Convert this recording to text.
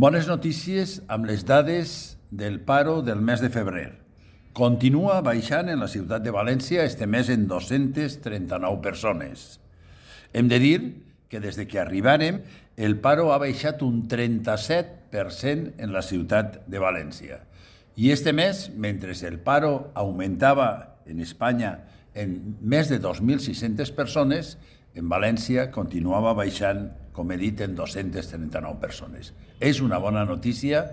Bones notícies amb les dades del paro del mes de febrer. Continua baixant en la ciutat de València este mes en 239 persones. Hem de dir que des de que arribàrem el paro ha baixat un 37% en la ciutat de València. I este mes, mentre el paro augmentava en Espanya en més de 2.600 persones, en València continuava baixant, com he dit, en 239 persones. És una bona notícia